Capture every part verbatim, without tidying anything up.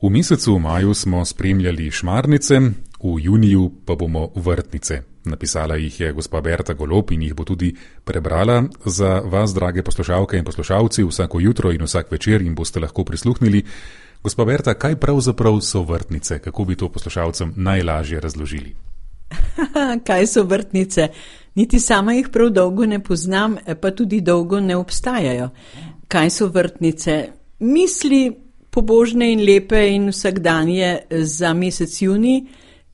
V mesecu maju smo spremljali šmarnice, v juniju pa bomo vrtnice. Napisala jih je gospa Berta Golob in jih bo tudi prebrala za vas, drage poslušalke in poslušalci, vsako jutro in vsak večer jim boste lahko prisluhnili. Gospa Berta, kaj pravzaprav so vrtnice? Kako bi to poslušalcem najlažje razložili? Kaj so vrtnice? Niti sama jih prav dolgo ne poznam, pa tudi dolgo ne obstajajo. Kaj so vrtnice? Misli pobožne in lepe in vsakdanje za mesec junij,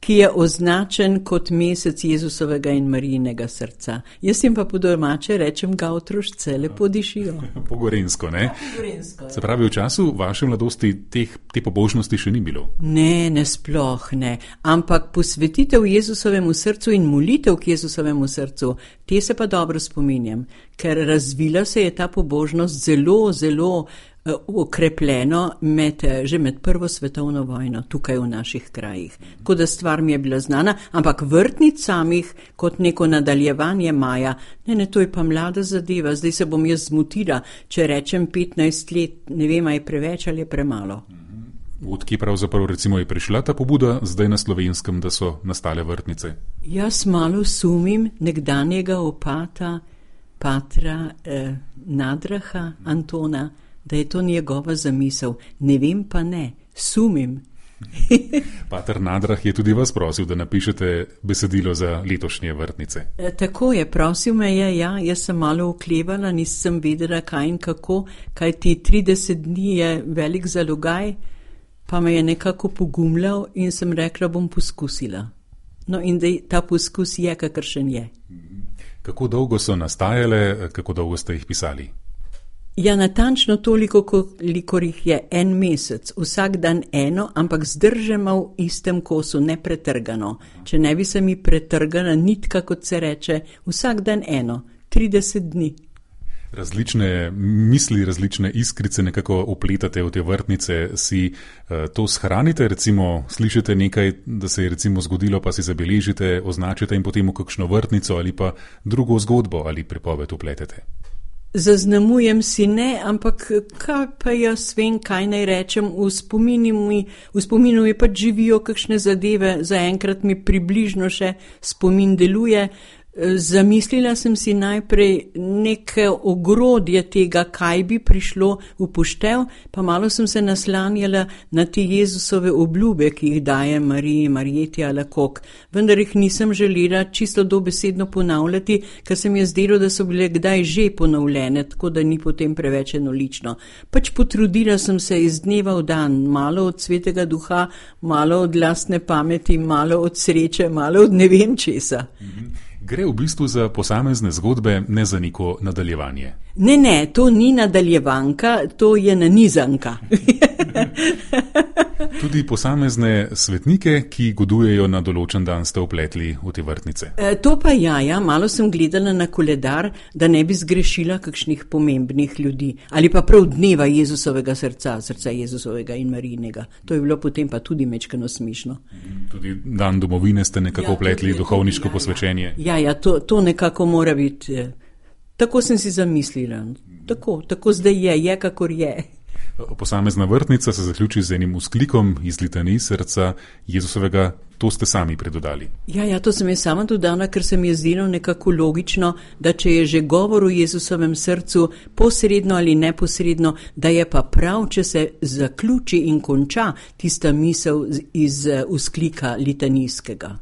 ki je označen kot mesec Jezusovega in Marijinega srca. Jaz jim pa po domače rečem ga otrošce, lepo dišijo. Pogorensko, ne? Pogorensko, Se pravi, v času vaše mladosti teh, te pobožnosti še ni bilo? Ne, ne sploh ne. Ampak posvetitev Jezusovemu srcu in molitev k Jezusovemu srcu, te se pa dobro spominjam, ker razvila se je ta pobožnost zelo, zelo okrepljeno med, že med prvo svetovno vojno tukaj v naših krajih. Tako da stvar mi je bila znana, ampak vrtnic samih kot neko nadaljevanje maja, ne, ne, to je pa mlada zadeva, zdaj se bom jaz zmotila, če rečem petnajst let, ne vem, a je preveč ali je premalo. Odkje pravzaprav recimo je prišla ta pobuda zdaj na Slovenskem, da so nastale vrtnice? Jaz malo sumim nekdanjega opata, patra eh, Nadraha Antona, da je to njegova zamisel. Ne vem pa ne, sumim. Pater Nadrah je tudi vas prosil, da napišete besedilo za letošnje vrtnice. E, tako je, prosil me je, ja, jaz sem malo oklevala, nisem vedela kaj in kako, kaj ti trideset dni je velik zalogaj, pa me je nekako pogumljal in sem rekla, bom poskusila. No in da ta poskus je, kakršen je. Kako dolgo so nastajale, kako dolgo ste jih pisali? Ja, natančno toliko, kolikor jih je en mesec, vsak dan eno, ampak zdržemo v istem kosu, ne pretrgano. Če ne bi se mi pretrgala nitka, kot se reče, vsak dan eno, trideset dni. Različne misli, različne iskrice nekako upletate v te vrtnice, si uh, to shranite, recimo slišite nekaj, da se je recimo zgodilo, pa si zabeležite, označite in potem v kakšno vrtnico ali pa drugo zgodbo ali pripoved upletete. Zaznamujem si ne, ampak kaj pa jaz vem, kaj naj rečem, v spominu mi, v spominu mi pač živijo kakšne zadeve, zaenkrat mi približno še spomin deluje. Zamislila sem si najprej neke ogrodje tega, kaj bi prišlo v poštev, pa malo sem se naslanjala na te Jezusove obljube, ki jih daje Mariji, Marijeti ali kok. Vendar jih nisem želela čisto dobesedno ponavljati, ker se mi je zdelo, da so bile kdaj že ponovljene, tako da ni potem preveč enolično. Pač potrudila sem se iz dneva v dan, malo od svetega duha, malo od lastne pameti, malo od sreče, malo od ne vem česa. Mhm. Gre v bistvu za posamezne zgodbe, ne za neko nadaljevanje. Ne, ne, to ni nadaljevanka, to je nanizanka. Tudi posamezne svetnike, ki godujejo na določen dan, ste vpletli v te vrtnice. E, to pa ja, ja, malo sem gledala na koledar, da ne bi zgrešila kakšnih pomembnih ljudi. Ali pa prav dneva Jezusovega srca, srca Jezusovega in Marijinega. To je bilo potem pa tudi mečkano smišno. Tudi dan domovine ste nekako vpletli, ja, duhovniško ja, posvečenje. Ja, ja, to, to nekako mora biti. Tako sem si zamislila. Tako, tako zdaj je, je kakor je. Posamezna vrtnica se zaključi z enim vzklikom iz litanij srca Jezusovega, to ste sami predodali. Ja, ja, to sem jaz sama dodala, ker se mi je zdelo nekako logično, da če je že govor o Jezusovem srcu posredno ali neposredno, da je pa prav, če se zaključi in konča tista misel iz vzklika litanijskega.